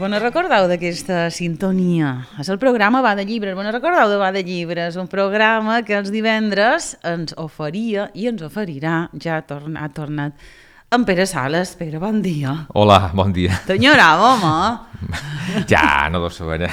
No recordeu d'aquesta sintonia? És el programa Va de Llibres. No recordeu de Va de Llibres? Un programa que els divendres ens oferia i ens oferirà, ja ha tornat, en Pere Sales. Pere, bon dia. Hola, bon dia. T'enyoràvem, home? Ja, no deu saber.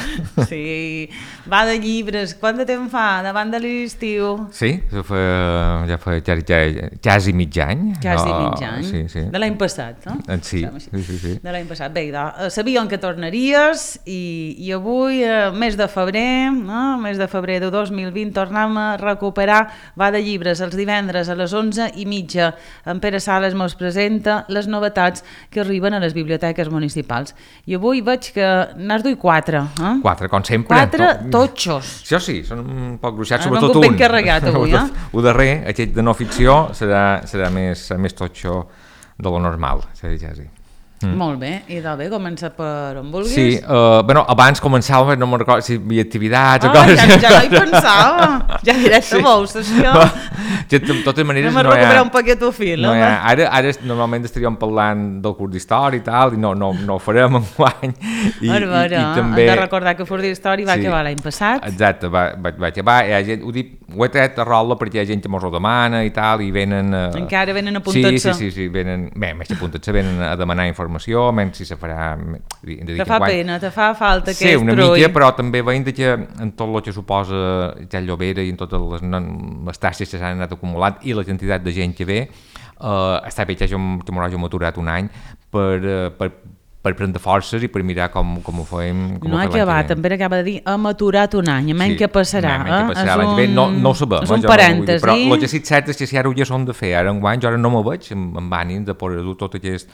Sí, Va de Llibres. Quant de temps fa? Davant de l'estiu? Sí, ja fa quasi mig any. Quasi mig any? Sí. De l'any passat, no? Sí. De l'any passat. Bé, sabíem que tornaries i avui, mes de febrer, no? Mes de febrer de 2020, tornem a recuperar Va de Llibres els divendres a les 11:30. En Pere Sales mos presenta les novetats que arriben a les biblioteques municipals. I avui veig que n'has duit 4. 4, com sempre. 4 totxos. Això sí, són un poc gruixats, sobretot un. Ben carregat avui, El darrer, aquest de no ficció, serà més totxo de lo normal, ja sí. Molt bé, i bé, comença per on vulguis. Sí, abans començàvem, no me'n recordo si hi havia activitats o coses. Ja no hi pensava, ja directe vols, això. De totes maneres, no recuperar un paquet fil. Ara normalment estaríem parlant del curs d'història i tal, i no ho farem enguany. Hem de recordar que el curs d'història va acabar l'any passat. Exacte, va acabar, ho he tret a rola perquè hi ha gent que mos ho demana i tal, i venen... Encara venen a apuntar-se. Sí, venen, més que apuntar-se, venen a demanar informació, menys si se farà... Te fa pena, te fa falta aquest trull. Sí, una mica, però també veiem que en tot el que suposa ja el Llobera i en totes les taxes que s'han anat acumulant i la quantitat de gent que ve, està bé que m'ho hàgim aturat un any per prendre forces i per mirar com ho fem. No ha acabat, també acaba de dir hem aturat un any, menys que passarà. No ho sabem. És un parèntesi. Però el que sí cert és que si ara ho ja són de fer, ara enguany jo ara no m'ho veig amb ànim de poder dur tot aquest...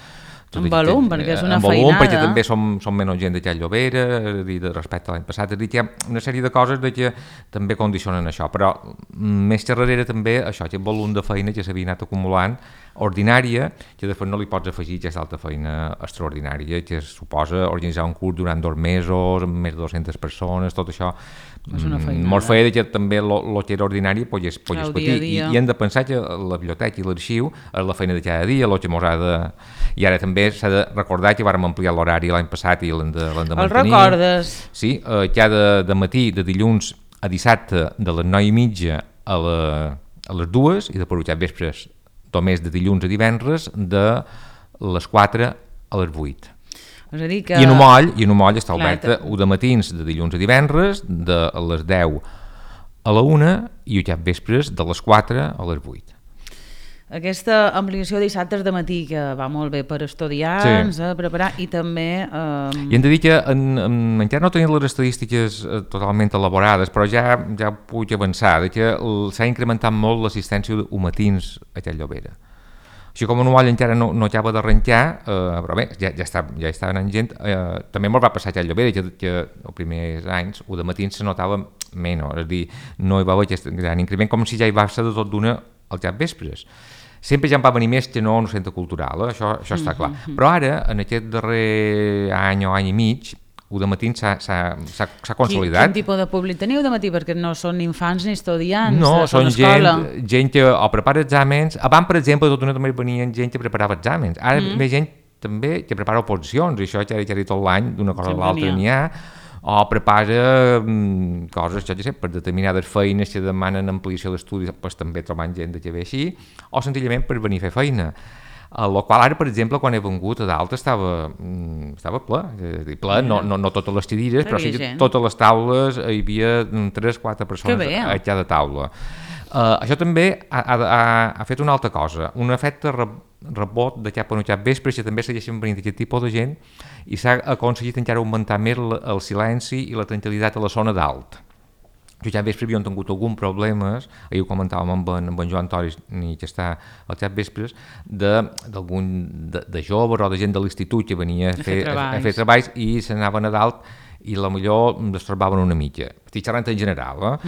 En volum, perquè és una feinada. En volum, perquè també som menys gent de Llobera, respecte a l'any passat. És a dir, que hi ha una sèrie de coses que també condicionen això, però més que darrere també això, aquest volum de feina que s'havia anat acumulant, ordinària, que després no li pots afegir aquesta altra feina extraordinària, que suposa organitzar un curs durant 2 mesos, amb més de 200 persones, tot això. Molt feia que també el que era ordinari pogués patir. I hem de pensar que la biblioteca i l'arxiu és la feina de cada dia, el que mos ha de... I ara també s'ha de recordar que vàrem ampliar l'horari l'any passat i l'hem de mantenir. El recordes? Sí, cada matí, de dilluns a dissabte, de les 9:30 a les 2, i després ja vespres, només de dilluns a divendres, de les 4 a les 8. És a dir que... I en un moll està oberta de matins de dilluns a divendres, de les 10 a la 1 i ja vespres de les 4 a les 8. Aquesta ampliació de dissabtes de matí que va molt bé per estudiants, preparar, i també... I hem de dir que encara no tenim les estadístiques totalment elaborades, però ja puc avançar, que s'ha incrementat molt l'assistència d'humatins a aquest Llobera. Així com un moll encara no acaba d'arrencar, però bé, ja està anant gent. També molt va passar a aquest Llobera, que els primers anys, de matins se notava menys, és a dir, no hi va haver aquest gran increment, com si ja hi va ser de tot d'una als vespres. Sempre ja en va venir més que no centre cultural, això està clar. Però ara, en aquest darrer any o any i mig, de matí s'ha consolidat. Quin tipus de públic teniu de matí? Perquè no són infants ni estudiants. No, són escola. gent que o prepara exàmens. Abans, per exemple, tot una també venien gent que preparava exàmens. Ara ve gent també que prepara oposicions, i això ja tot l'any, d'una cosa a l'altra n'hi ha. O prepara coses, jo sé, per determinades feines que demanen ampliació d'estudis, doncs també trobant gent que ve així, o senzillament per venir a fer feina. El qual ara, per exemple, quan he vengut a dalt estava ple, no totes les cadires, però sí que totes les taules hi havia 3-4 persones a cada taula. Això també ha fet una altra cosa, un efecte rebot de cap a cap vespre, que també segueixen venint aquest tipus de gent, i s'ha aconseguit encara augmentar més el silenci i la tranquil·litat a la zona dalt. Jo ja vespre havíem tingut alguns problemes, ahir ho comentàvem amb en Joan Toris, que està al xat vespres, de joves o de gent de l'institut que venia a fer treballs i s'anaven a dalt i potser es trobaven una mitja. Estic xerrant en general.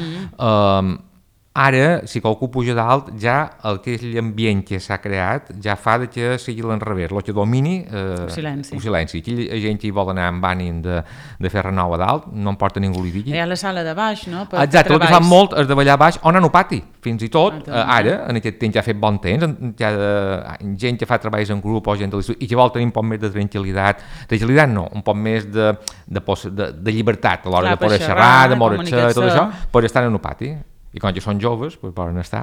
Ara, si qualcú puja dalt, ja aquell ambient que s'ha creat ja fa que sigui l'enrevés, el que domini el silenci. Aquella gent que vol anar amb ànim de fer renou a dalt, no em porta ningú li digui. Hi ha la sala de baix, no? Exacte, el que fan molt és de ballar baix o anar al pati, fins i tot. Ara, en aquest temps ja ha fet bon temps, hi ha gent que fa treballs en grup o gent de l'institut i que vol tenir un poc més de tranquil·litat. Tranquil·litat no, un poc més de llibertat a l'hora de poder xerrar, de moure-se, tot això, per estar en el pati. I quan ja són joves, poden estar.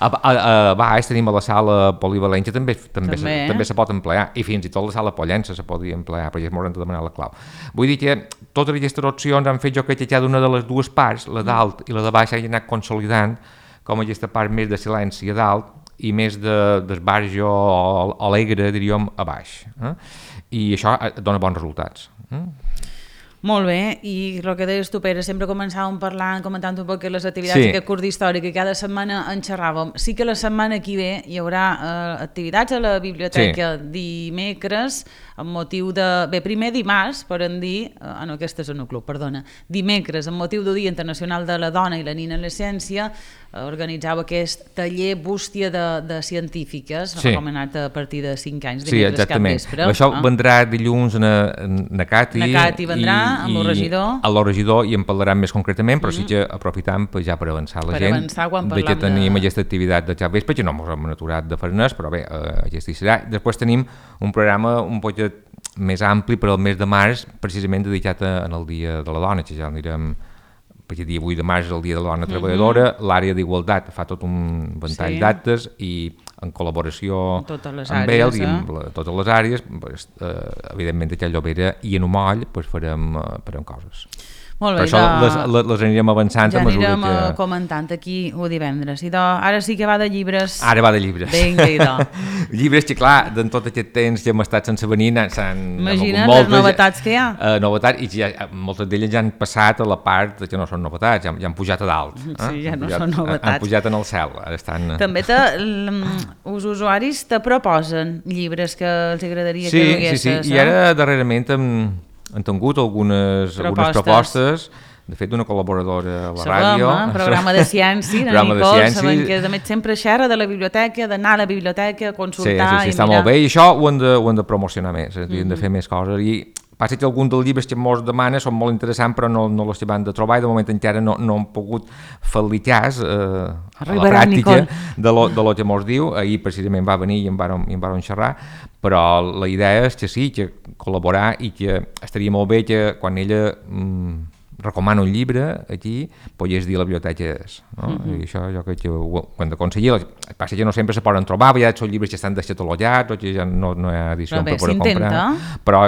A baix tenim a la sala polivalent, que també se pot emplear, i fins i tot la sala pollença se podria emplear, perquè m'hauran de demanar la clau. Vull dir que totes aquestes opcions han fet jo crec que cada una de les dues parts, la dalt i la de baix, hagin anat consolidant com aquesta part més de silenci a dalt i més d'esbarjo alegre, diríem, a baix. I això dona bons resultats. Molt bé, i el que deies tu, Pere, sempre començàvem comentant un poc les activitats d'aquest curs d'història, que cada setmana en xerràvem. Sí que la setmana que ve hi haurà activitats a la biblioteca dimecres, amb motiu de... Bé, primer dimarts, poden dir... no, aquest és en el club, perdona. Dimecres, amb motiu del Dia Internacional de la Dona i la Nina en la Ciència, organitzava aquest taller bústia de científiques, recomanat a partir de 5 anys, dimecres cap vespre. Això vendrà dilluns na Cati. Na Cati vendrà, amb el regidor. El regidor, i en parlarà més concretament, però sí que aprofitam ja per avançar la gent, de que tenim aquesta activitat de cap vespre, que no ens hem aturat de fer res, però bé, aquesta hi serà. Després tenim un programa un poc més ampli per al mes de març, precisament dedicat al Dia de la Dona, que ja anirem... perquè el dia 8 de març és el Dia de la Dona Treballadora, l'àrea d'igualtat fa tot un ventall d'actes i en col·laboració amb ells i amb totes les àrees, evidentment a Llobera i en Umoll farem coses. Molt bé, per això les anirem avançant ja anirem comentant aquí o divendres. I ara sí que va de llibres. Ara va de llibres. Vinga, llibres que, clar, en tot aquest temps que hem estat sense venir, imagina't les novetats que hi ha. Novetats, i moltes d'elles ja han passat a la part que no són novetats, ja han pujat a dalt. Sí, ja no són novetats. Han pujat en el cel. També els usuaris te proposen llibres que els agradaria que duguessis. Sí, i ara darrerament han tingut algunes propostes, de fet d'una col·laboradora a la ràdio. Programa de ciència, la Nicole, sabem que a més sempre xerra de la biblioteca, d'anar a la biblioteca, consultar... Sí, està molt bé, i això ho hem de promocionar més, hem de fer més coses, i passa que alguns dels llibres que ens demanen són molt interessants, però no els van de trobar, i de moment encara no hem pogut fer-li cas a la pràctica de lo que ens diu. Ahir precisament va venir i en vàrem xerrar, però la idea és que sí, que col·laborar, i que estaria molt bé que quan ella recomana un llibre aquí, pogués dir a la biblioteca és. I això jo crec que ho hem d'aconseguir. El que passa que no sempre se poden trobar, ja són llibres que estan descatalogats o que ja no hi ha edició per poder comprar. Però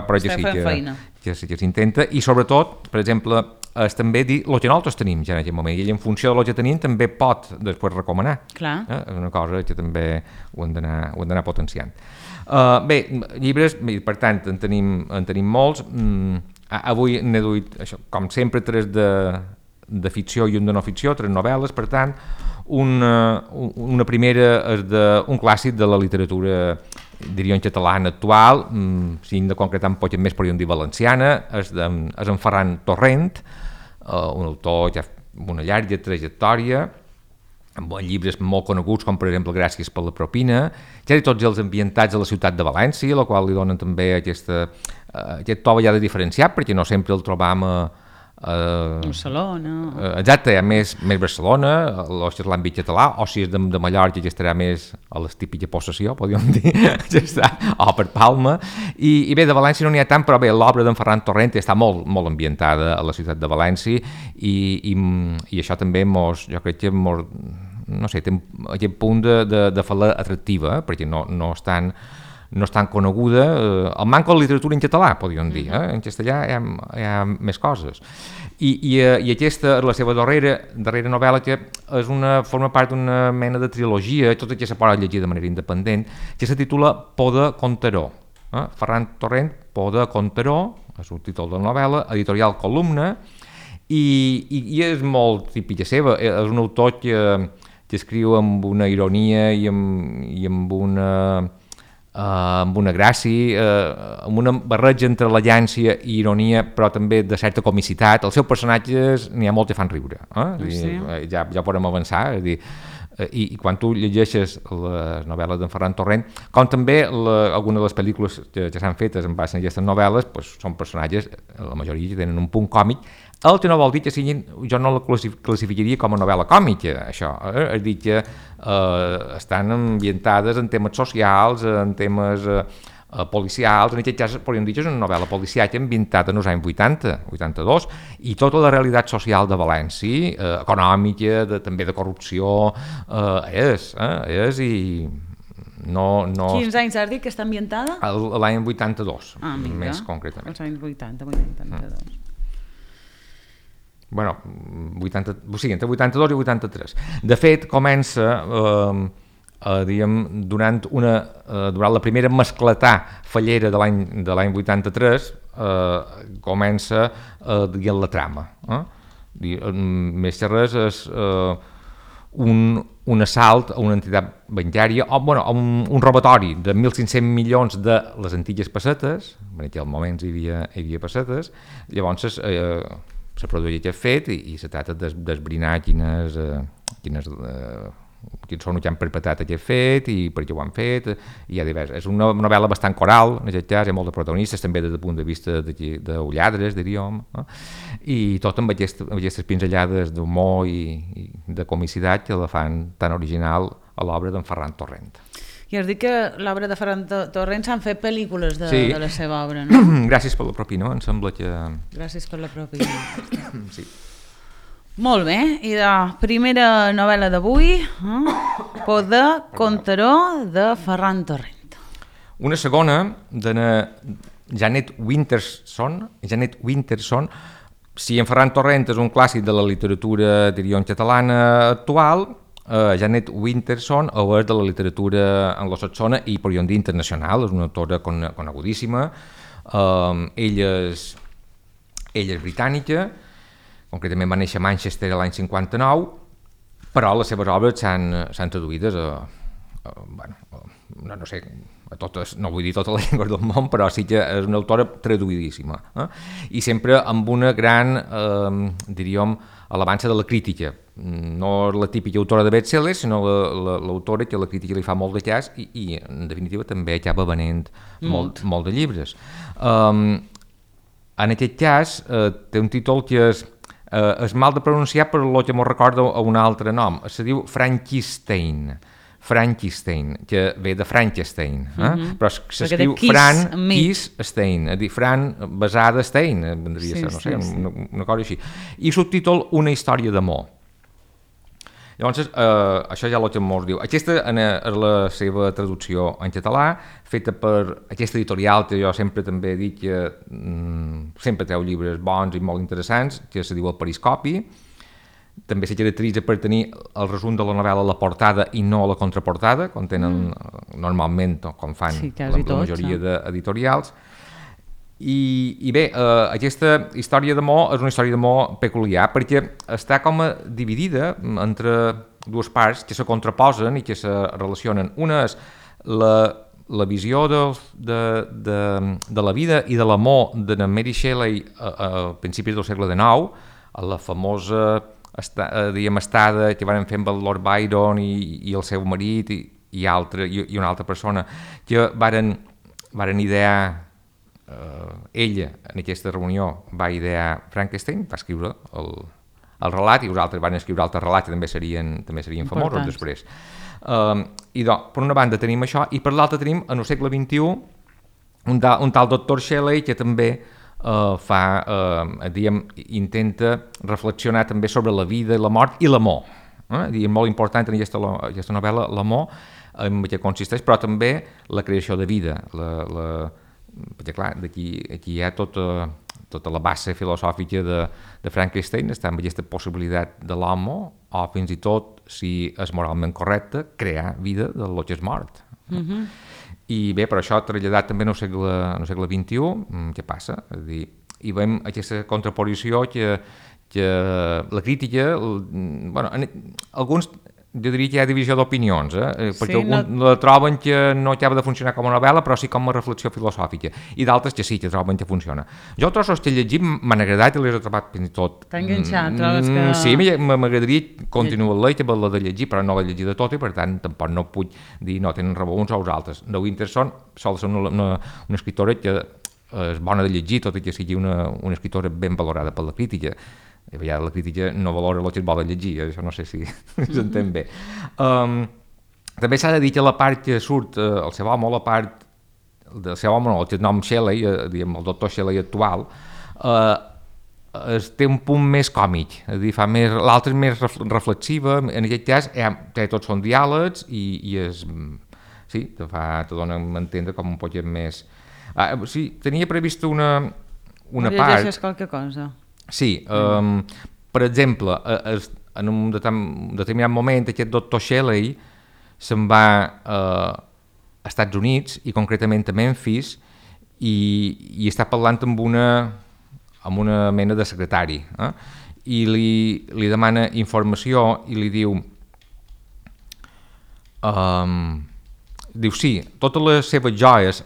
que sí que s'intenta, i sobretot, per exemple, és també dir el que nosaltres tenim ja en aquest moment, i ell en funció del que tenim també pot després recomanar. És una cosa que també ho hem d'anar potenciant. Bé, llibres, per tant, en tenim molts. Avui n'he duit, com sempre, 3 de ficció i un de no ficció, 3 novel·les, per tant, una primera és d'un clàssic de la literatura, diríem, catalana actual, si hem de concretar un poc més, podríem dir valenciana, és en Ferran Torrent, un autor ja amb una llarga trajectòria, amb llibres molt coneguts, com per exemple Gràcies per la propina, ja tots els ambientats a la ciutat de València, la qual li donen també aquesta aquest to ja de diferenciat, perquè no sempre el trobam a Barcelona. Exacte, hi ha més Barcelona, o si és l'àmbit català, o si és de Mallorca, ja estarà més a les típiques possessió, podríem dir, ja està, o per Palma. I bé, de València no n'hi ha tant, però bé, l'obra d'en Ferran Torrent està molt ambientada a la ciutat de València i això també jo crec que no sé, té aquest punt de fer-la atractiva, perquè no és tan coneguda, el manco de literatura en català, podríem dir, en castellà hi ha més coses. I aquesta, la seva darrera novel·la, que forma part d'una mena de trilogia, tota que se pot llegir de manera independent, que se titula Por de Conteró. Ferran Torrent, Por de Conteró, és un títol de la novel·la, editorial Columna, i és molt típica seva, és un autor que escriu amb una ironia i amb una gràcia, amb una barreja entre l'agència i ironia, però també de certa comicitat. Els seus personatges n'hi ha molt que fan riure. Ja podem avançar. És dir, i quan tu llegeixes les novel·les d'en Ferran Torrent, com també algunes de les pel·lícules que s'han fetes en base a aquestes novel·les, són personatges, la majoria que tenen un punt còmic, el que no vol dir que siguin, jo no la classificaria com a novel·la còmica, això, és dir que estan ambientades en temes socials, en temes policials, en aquest cas podríem dir que és una novel·la policiaca ambientada en els anys 80, 82, i tota la realitat social de València, econòmica, també de corrupció, és i no... Quins anys has dit que està ambientada? L'any 82, més concretament. Els anys 82. Bueno, entre 82 i 83. De fet, comença, durant la primera mascletà fallera de l'any 83, comença la trama. Més que res és un assalt a una entitat bancària, un robatori de 1.500 milions de les antigues pessetes, en aquell moment hi havia pessetes, llavors se produeix aquest fet i se trata d'esbrinar quins són els que han perpetrat aquest fet i per què ho han fet, i hi ha divers. És una novel·la bastant coral, en aquest cas, hi ha molt de protagonistes, també des del punt de vista d'ulladres, diríem, i tot amb aquestes pinzellades d'humor i de comicitat que la fan tan original a l'obra d'en Ferran Torrent. I has dit que l'obra de Ferran Torrent s'han fet pel·lícules de la seva obra, no? Gràcies per la propina, em sembla que... Gràcies per la propina. Sí. Molt bé, i la primera novel·la d'avui, Por de Conteró, de Ferran Torrent. Una segona, de Janet Winterson. Si en Ferran Torrent és un clàssic de la literatura, diríem, catalana actual, Janet Winterson és de la literatura anglosaxona i podríem dir internacional, és una autora conegudíssima. Ella és britànica, concretament va néixer a Manchester l'any 59, però les seves obres s'han traduïdes no sé, a totes, no vull dir totes les llengües del món, però sí que és una autora traduïdíssima, i sempre amb una gran, diríem, alabança de la crítica. No és la típica autora de best-sellers, sinó l'autora que la crítica li fa molt de cas i en definitiva també acaba venent molt de llibres. En aquest cas té un títol que és mal de pronunciar, però el que m'ho recorda a un altre nom. Se diu Frankenstein, que ve de Frankenstein, però s'escriu Frankenstein, és dir, Fran basada Stein, vendria a ser, no sé, una cosa així. I subtítol Una història d'amor. Llavors, això ja el que mos diu. Aquesta és la seva traducció en català, feta per aquesta editorial que jo sempre també he dit que sempre treu llibres bons i molt interessants, que se diu El Periscopi. També se caracteritza per tenir el resum de la novel·la a la portada i no a la contraportada, com tenen normalment, com fan la majoria d'editorials. I bé, aquesta història d'amor és una història d'amor peculiar perquè està com dividida entre dues parts que se contraposen i que se relacionen. Una és la visió de la vida i de l'amor de Mary Shelley a principis del segle XIX, a la famosa estada que van fer amb el Lord Byron i el seu marit i una altra persona que varen idear ella, en aquesta reunió, va idear Frankenstein, va escriure el relat, i vosaltres van escriure altres relats que també serien famosos després. I doncs, per una banda tenim això, i per l'altra tenim, en el segle XXI, un tal doctor Shelley que també intenta reflexionar també sobre la vida, la mort i l'amor. És molt important en aquesta novel·la l'amor, en què consisteix, però també la creació de vida. Perquè clar, aquí hi ha tota la base filosòfica de Frankenstein, està amb aquesta possibilitat de l'home, o fins i tot, si és moralment correcte, crear vida del que és mort. I bé, per això traslladat també en el segle XXI, què passa? És a dir, hi veiem aquesta contraposició que la crítica, alguns, jo diria que hi ha divisió d'opinions, perquè alguns la troben que no acaba de funcionar com a novel·la, però sí com a reflexió filosòfica, i d'altres que sí, que troben que funciona. Jo els trossos que he llegit m'han agradat i les he trobat fins i tot... T'ha enganxat, trobes que... Sí, m'agradaria continuar-la i haver-la de llegir, però no l'he llegida tota i per tant tampoc no puc dir no tenen raó uns o els altres. De Winterson sol ser una escriptora que és bona de llegir, tot i que sigui una escriptora ben valorada per la crítica. Ja la crítica no valora el que es vol llegir, això no sé si s'entén bé. També s'ha de dir que la part que surt, el seu home, la part del seu home, el nom Shelley, el doctor Shelley actual, té un punt més còmic, és a dir, l'altra és més reflexiva, en aquest cas tots són diàlegs i sí, te dona a entendre com un poquet més... Sí, tenia previst una part... Llegeixes qualque cosa? Sí, per exemple, en un determinat moment aquest doctor Shelley se'n va a Estats Units i concretament a Memphis i està parlant amb una mena de secretari i li demana informació i li diu sí, totes les seves joies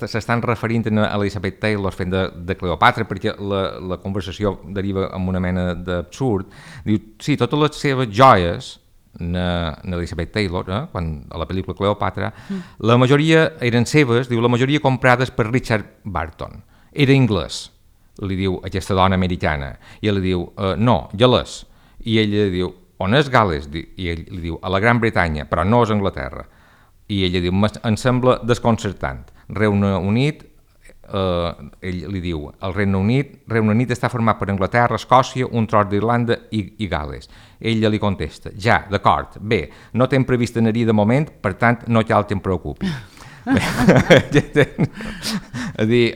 s'estan referint a Elizabeth Taylor fent de Cleopatra perquè la conversació deriva en una mena d'absurd. Diu, sí, totes les seves joies Elizabeth Taylor, quan a la pel·lícula Cleopatra, la majoria eren seves, diu, la majoria comprades per Richard Barton. Era anglès, li diu aquesta dona americana. I ell li diu, no, galès. I ella diu, on és Gal·les? I ell li diu, a la Gran Bretanya, però no és Anglaterra. I ella diu, em sembla desconcertant. Regne Unit, ell li diu, el Regne Unit està format per Anglaterra, Escòcia, un tros d'Irlanda i Gal·les. Ella li contesta, ja, d'acord, bé, no t'hem previst anar-hi de moment, per tant, no cal que em preocupi. És dir,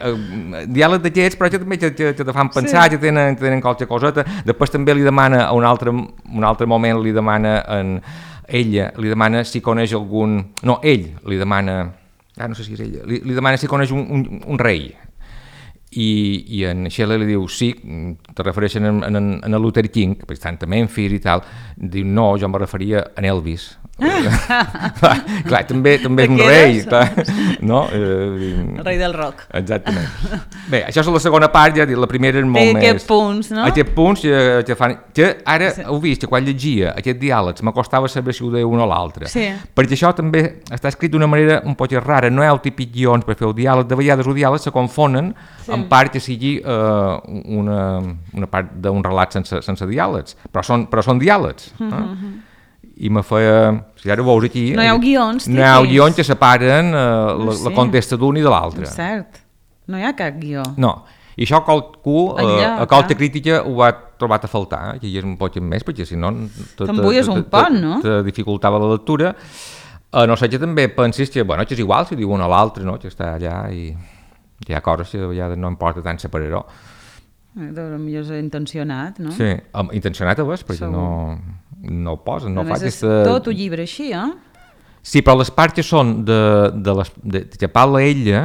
diàleg d'aquests, però també que te fan pensar, que tenen qualque coseta. Després també li demana, a un altre moment li demana ella li demana si coneix algun... No, ell li demana... no sé si és ella. Li demana si coneix un rei. I en Shelley li diu, sí, te refereixen a Luther King, per tant, a Memphis i tal. Diu, no, jo em referia a Elvis. Clar, també és un rei, no? El rei del rock. Exactament. Bé, això és la segona part, ja la primera és molt més... Aquests punts, no? Aquests punts que fan... Que ara heu vist que quan llegia aquests diàlegs m'acostava saber si ho deia un o l'altre. Sí. Perquè això també està escrit d'una manera un poc rara, no hi ha el típic guions per fer el diàleg, de vegades els diàlegs se confonen en part que sigui una part d'un relat sense diàlegs, però són diàlegs. I me feia... Si ara ho veus aquí... No hi ha guions. No hi ha guions que separen la contesta d'un i de l'altre. És cert. No hi ha cap guió. No. I això qualcú, a qualque crítica, ho ha trobat a faltar, que hi és un poc més, perquè si no... T'embulles un pont, no? Te dificultava la lectura. No sé que també pensis que és igual si diu un o l'altre, no? Que està allà i hi ha coses que ja no importa tant separar-ho. Potser és intencionat, no? Sí, intencionat ho és, perquè no ho posen, no fa aquesta... Tot un llibre així, Sí, però les parts que són que parla ella,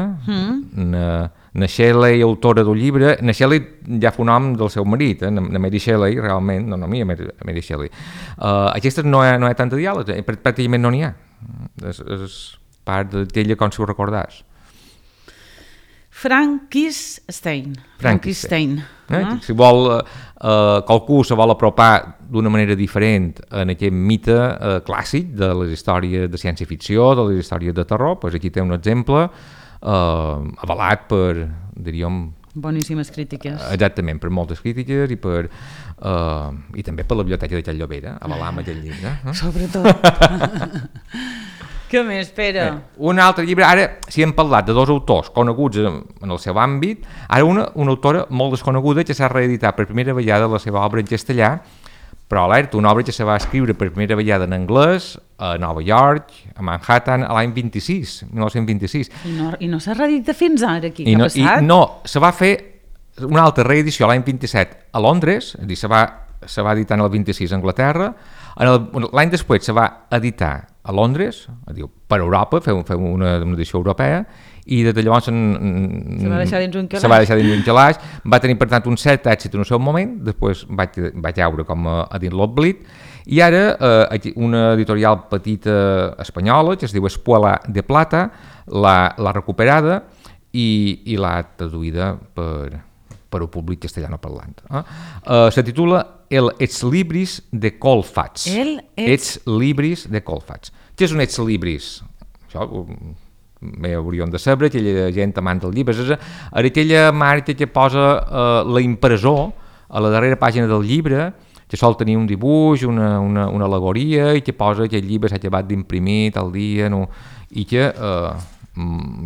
na Shelley, autora del llibre, na Shelley ja fa un nom del seu marit, na Mary Shelley, realment, no a Mary Shelley. Aquestes no hi ha tant de diàleg, pràcticament no n'hi ha. És part d'ella com si ho recordàs. Frankenstein. Si vol, qualcú se vol apropar d'una manera diferent en aquest mite clàssic de les històries de ciència-ficció, de les històries de terror, doncs aquí té un exemple avalat per, diríem, boníssimes crítiques. Exactament, per moltes crítiques i també per la biblioteca de Can Llobera, avalar amb aquest llibre. Sobretot. Què més, Pere? Un altre llibre, ara si hem parlat de dos autors coneguts en el seu àmbit, ara una autora molt desconeguda que s'ha reeditat per primera vegada la seva obra en castellà, però alerta, una obra que se va escriure per primera vegada en anglès a Nova York, a Manhattan, a l'any 1926. I no s'ha reeditat fins ara aquí, què ha passat? No, se va fer una altra reedició l'any 27 a Londres, és a dir, se va editar en el 26 a Anglaterra, l'any després se va editar a Londres, per Europa, fer una edició europea, i des de llavors se va deixar dins un calaix. Se va deixar dins un calaix, va tenir per tant un cert èxit en el seu moment, després vaig veure com a dins l'oblit, i ara una editorial petita espanyola que es diu Espuela de Plata l'ha recuperada i l'ha traduïda per al públic castellano parlant. Se titula El Ex Libris de Colfats. Ex Libris de Colfats. Què és un Ex Libris? Això bé hauríem de saber, aquella gent amant del llibre. És aquella marca que posa la impressor a la darrera pàgina del llibre, que sol tenir un dibuix, una al·legoria, i que posa que el llibre s'ha acabat d'imprimir tal dia, no? I que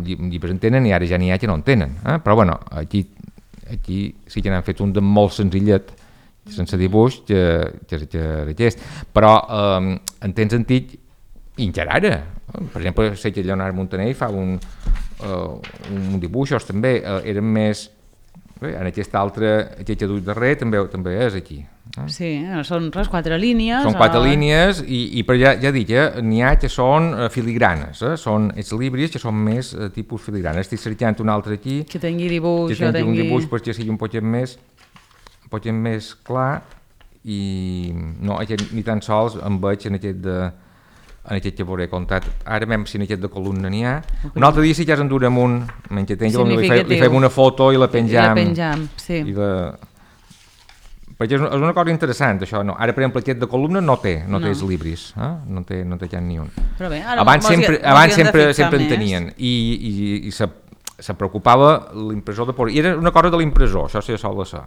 llibres en tenen i ara ja n'hi ha que no en tenen. Però bueno, aquí sí que n'han fet un de molt senzillet, sense dibuix, que aquest. Però en temps antic, i encara ara, per exemple, sé que Leonard Montaner fa un dibuixos també, eren més... En aquest altre, aquest que duc darrer, també és aquí. Sí, són 4 línies. Són 4 línies, però ja dic, n'hi ha que són filigranes, són els llibres que són més tipus filigranes. Estic cercant un altre aquí, que tingui dibuix, que tingui un dibuix perquè sigui un poquet més clar, i no, ni tan sols em veig en aquest que veuré contat. Ara veiem si en aquest de columna n'hi ha. Un altre dia sí que ja ens endurem un, menys que li fem una foto i la penjam. Sí. Perquè és una cosa interessant, això. No. Ara, per exemple, aquest de columna no té els llibres, no té cap ni un. Però bé, abans sempre en tenien, i se preocupava l'impressor de por. I era una cosa de l'impressor, això sí que sol ser.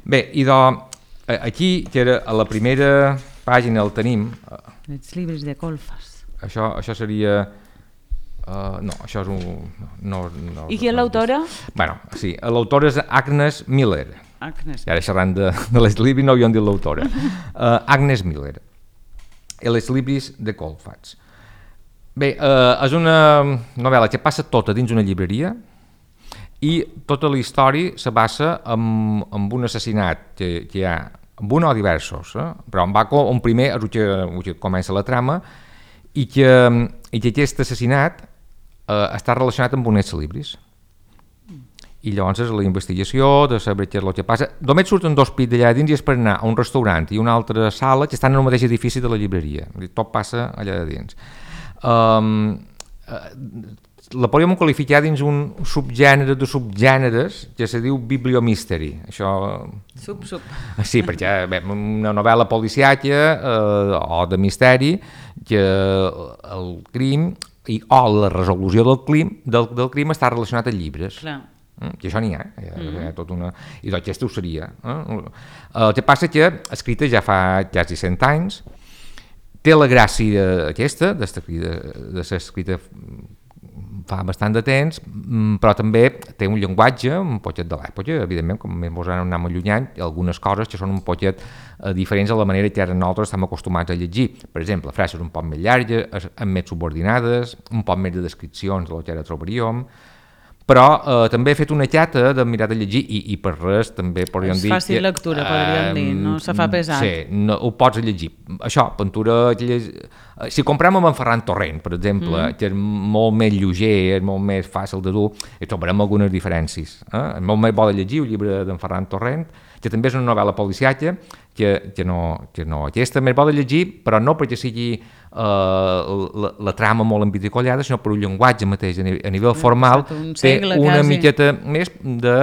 Bé, i aquí, que era a la primera pàgina el tenim... Els llibres de Colfats. Això seria... no, això és un... No, i qui és l'autora? Bueno, sí, l'autora és Agnes Miller. Agnes. I ara xerrant de les llibres no havíem dit l'autora. Agnes Miller. Els llibres de Colfats. Bé, és una novel·la que passa tota dins una llibreria i tota la història se basa en un assassinat que hi ha, amb un o diversos, però un primer és el que comença la trama, i que aquest assassinat està relacionat amb un ex-libris. I llavors és la investigació de saber què és el que passa. Només surten 2 pits d'allà dins i és per anar a un restaurant i una altra sala que estan en el mateix edifici de la llibreria. Tot passa allà dins. La podríem qualificar dins un subgènere de subgèneres que se diu bibliomystery. Això... Sub. Sí, perquè una novel·la policiaca o de misteri que el crim o la resolució del crim està relacionat amb llibres. Clar. Que això n'hi ha, tot una... I aquesta ho seria. El que passa que escrita ja fa quasi 100 anys, té la gràcia aquesta, de ser escrita fa bastant de temps, però també té un llenguatge un poquet de l'època, evidentment, com més ens anem allunyant, algunes coses que són un poquet diferents a la manera que ara nosaltres estem acostumats a llegir. Per exemple, frases un poc més llargues, amb més subordinades, un poc més de descripcions del que ara trobaríem, però també he fet una xata de mirar de llegir i per res també podríem dir... És fàcil lectura, podríem dir, no se fa pesat. Sí, ho pots llegir. Això, pintura... Si comprem amb en Ferran Torrent, per exemple, que és molt més lleuger, és molt més fàcil de dur, hi trobarem algunes diferències. És molt més bo de llegir el llibre d'en Ferran Torrent, que també és una novel·la policiaca, que no aquesta més bo de llegir, però no perquè sigui la trama molt embiticollada, sinó per un llenguatge mateix, a nivell formal, té una miqueta més de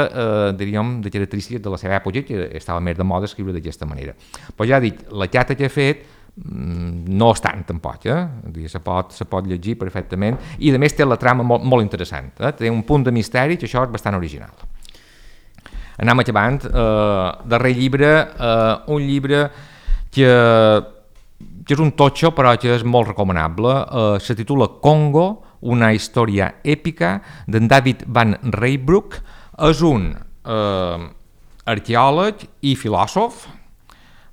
característiques de la seva època, que estava més de moda escriure d'aquesta manera. Però ja dic, la xata que he fet no és tant tampoc, se pot llegir perfectament, i a més té la trama molt interessant, té un punt de misteri que això és bastant original. Anem acabant, darrer llibre, un llibre que és un totxo però que és molt recomanable, se titula Congo, una història èpica, d'en David Van Reybrouck. És un arqueòleg i filòsof,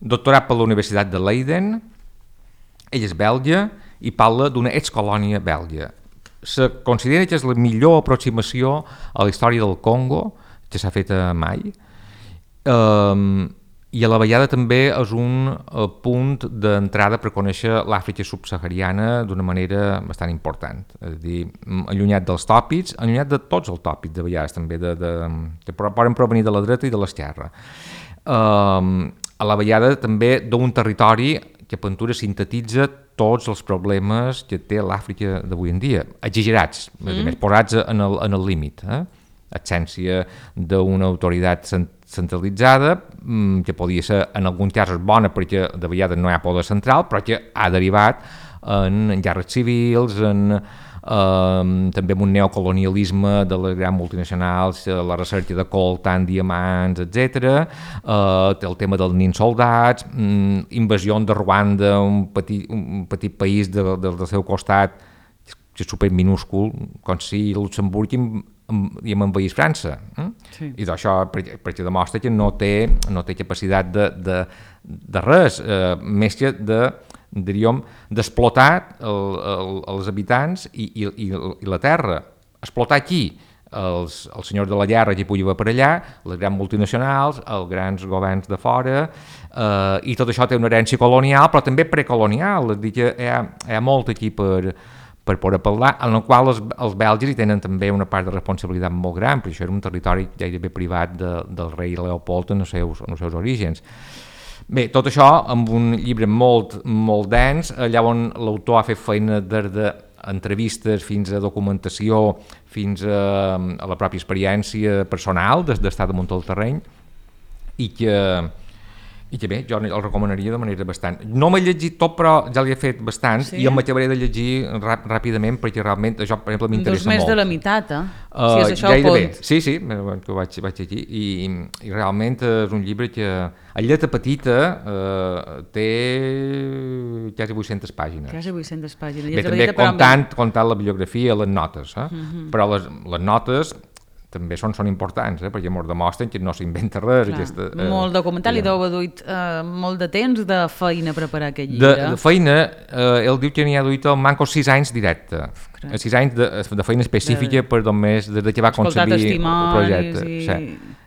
doctorat per la Universitat de Leiden. Ell és belga i parla d'una excolònia belga. Se considera que és la millor aproximació a la història del Congo que s'ha fet mai, i a la vegada també és un punt d'entrada per conèixer l'Àfrica subsahariana d'una manera bastant important. És a dir, allunyat dels tòpics, allunyat de tots els tòpics de vegades també, que poden provenir de la dreta i de l'esquerra. A la vegada també d'un territori que Ventura sintetitza tots els problemes que té l'Àfrica d'avui en dia, exagerats, més posats en el límit. Absència d'una autoritat centralitzada, que podia ser en alguns casos bona perquè de vegades no hi ha poder central, però que ha derivat en guerres civils, també en un neocolonialisme de les grans multinacionals, la recerca de coltan, diamants, etc. Té el tema dels nins soldats, invasió de Ruanda, un petit país del seu costat, que és superminúscul, com si Luxemburg i envaís França. Sí. I d'això perquè demostra que no té capacitat de res, més que d'explotar els habitants i la terra. Explotar aquí els senyors de la guerra que pugui haver per allà, les grans multinacionals, els grans governs de fora, i tot això té una herència colonial, però també precolonial. És a dir, que hi ha molt aquí per poder parlar, en el qual els belges hi tenen també una part de responsabilitat molt gran, perquè això era un territori gairebé privat del rei Leopold en els seus orígens. Bé, tot això amb un llibre molt, molt dens, allà on l'autor ha fet feina des d'entrevistes fins a documentació, fins a la pròpia experiència personal d'estar damunt del terreny, i que bé, jo el recomanaria de manera bastant. No m'he llegit tot, però ja l'he fet bastant, i em m'acabaré de llegir ràpidament, perquè realment això, per exemple, m'interessa molt. Més de la meitat, si és això el punt. Sí, que ho vaig llegir, i realment és un llibre que a lletra petita té quasi 800 pàgines. Quasi 800 pàgines. Bé, també comptant la bibliografia, les notes, però les notes també són importants, perquè ens demostren que no s'inventa res. Molt documental, i deu haver duit molt de temps de feina a preparar aquest llibre. De feina, ell diu que n'hi ha duit al manco 6 anys directe. 6 anys de feina específica per només des que va concebir el projecte.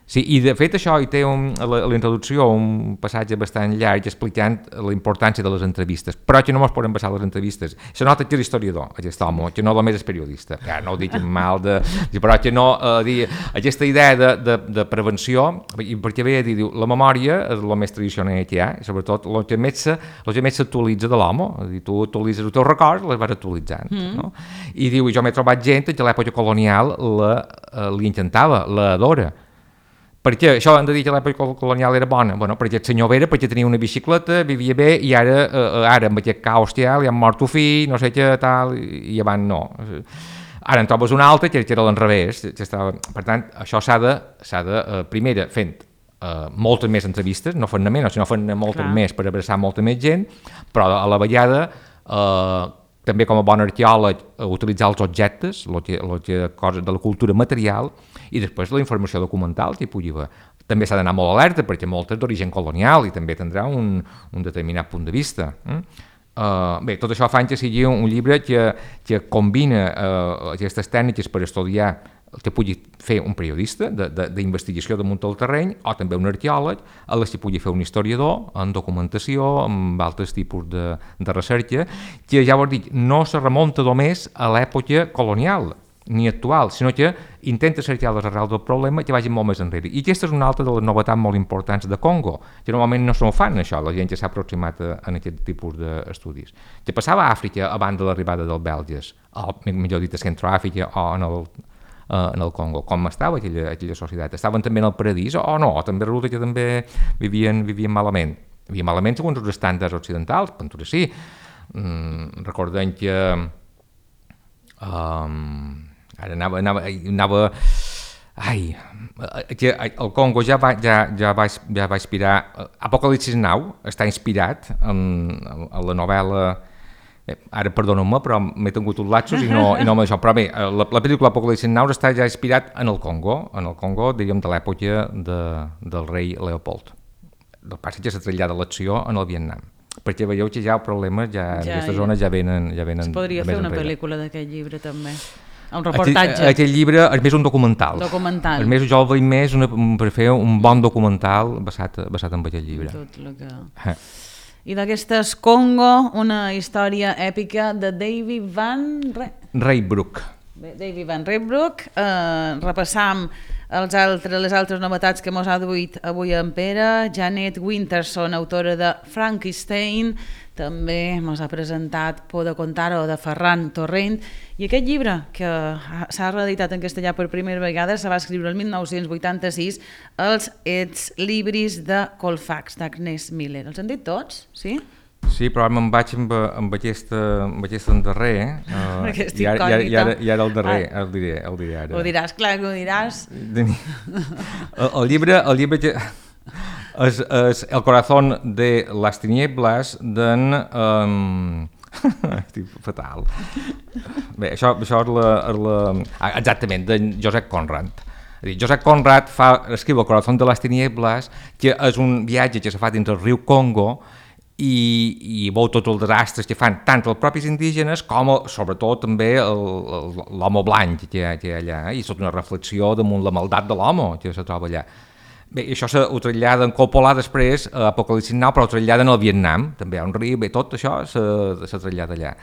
Sí, i de fet això hi té a la introducció un passatge bastant llarg explicant la importància de les entrevistes, però que no ens podem basar les entrevistes. Se nota que és historiador, aquest home, que no només és periodista. No ho dic mal, però que no, aquesta idea de prevenció, perquè ve a dir, la memòria és el més tradicional que hi ha, i sobretot el que més s'actualitza de l'home, tu actualitzes els teus records, les vas actualitzant. I diu, jo m'he trobat gent que a l'època colonial li encantava, l'adora. Per què? Això hem de dir que l'època colonial era bona. Bueno, perquè el senyor Vera, perquè tenia una bicicleta, vivia bé, i ara amb aquest caos que hi ha, li han mort un fill, no sé què, tal, i abans no. Ara en trobes un altre que era l'enrevés. Per tant, això s'ha de primera, fent moltes més entrevistes, no fent-ne menys, sinó fent-ne moltes més per abraçar molta més gent, però a la vegada també com a bon arqueòleg utilitzar els objectes, coses de la cultura material, i després la informació documental que hi pugui haver. També s'ha d'anar molt alerta perquè moltes d'origen colonial i també tindrà un determinat punt de vista. Bé, tot això fa que sigui un llibre que combina aquestes tècniques per estudiar el que pugui fer un periodista d'investigació damunt del terreny, o també un arqueòleg, a les que pugui fer un historiador, en documentació, amb altres tipus de recerca, que ja ho dic, no se remunta només a l'època colonial ni actual, sinó que intenta cercar les arrels del problema que vagin molt més enrere. I aquesta és una altra de les novetats molt importants de Congo, que normalment no s'ho fan això, la gent que s'ha aproximat a aquest tipus d'estudis. Que passava a Àfrica abans de l'arribada dels belges, o millor dit, a Centroàfrica o en el Congo, com estava aquella societat. Estaven també en el paradís o no? O també resulta que també vivien malament. Hi havia malament segons els estàndards occidentals, pintura sí. Recordem que ara anava que el Congo ja va inspirar Apocalipsis Now està inspirat en la novel·la. Ara perdoneu-me, però m'he tingut uns lapsos i no amb això. Però bé, la pel·lícula Apocalipsis Now està ja inspirat en el Congo, diríem, de l'època del rei Leopold. El que passa és que s'ha traslladat l'acció en el Vietnam, perquè veieu que ja els problemes en aquesta zona ja venen es podria fer una pel·lícula d'aquest llibre també, un reportatge. Aquest llibre és més un documental. És més, jo el veig més per fer un bon documental basat en aquest llibre. Tot el que... I d'aquestes Congo, una història èpica de David Van Rysbroek. David Van Rysbroek. Repassam les altres novetats que mos ha duit avui en Pere. Janet Winterson, autora de Frankenstein, també mos ha presentat Por de contar-ho, de Ferran Torrent, i aquest llibre que s'ha reeditat en castellà per primera vegada se va escriure el 1986, Els Ets Libris de Colfax, d'Agnès Miller. Els han dit tots? Sí? Sí, però ara me'n vaig amb aquest endarrer, i ara el darrer, el diré ara. Ho diràs, clar que ho diràs. El llibre que... és El corazón de las tinieblas d'en... Estic fatal. Bé, això és exactament, d'en Josep Conrad. Josep Conrad escriu El corazón de las tinieblas, que és un viatge que s'ha fet dins el riu Congo, i veu tots els desastres que fan tant els propis indígenes com sobretot també l'home blanc que hi ha allà, i és tota una reflexió damunt la maldat de l'home que se troba allà. Bé, això ho trasllada en Coppola després a Apocalipsis Now, però ho trasllada en el Vietnam, també hi ha un riu, bé, tot això se trasllada allà.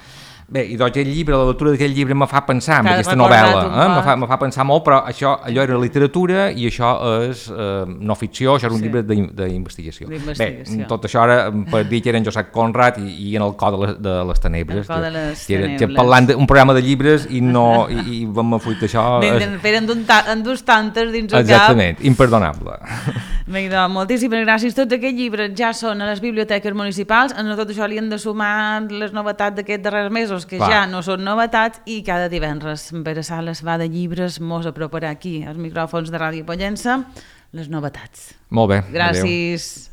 Bé, i doncs la lectura d'aquest llibre me fa pensar en aquesta novel·la, me fa pensar molt, però allò era literatura i això és no ficció, això és un llibre d'investigació. Bé, tot això ara per dir que era en Josep Conrad i en el cor de les tenebres, que parlant d'un programa de llibres i vam afluir això. En dus tantes dins el cap. Exactament, imperdonable. Bé, doncs, moltíssimes gràcies. Tots aquests llibres ja són a les biblioteques municipals. A tot això li hem de sumar les novetats d'aquests darrers mesos, que ja no són novetats, i cada divendres Pere Sales va de llibres, mos aproparà aquí als micròfons de Ràdio Pollença les novetats. Molt bé. Gràcies. Adeu.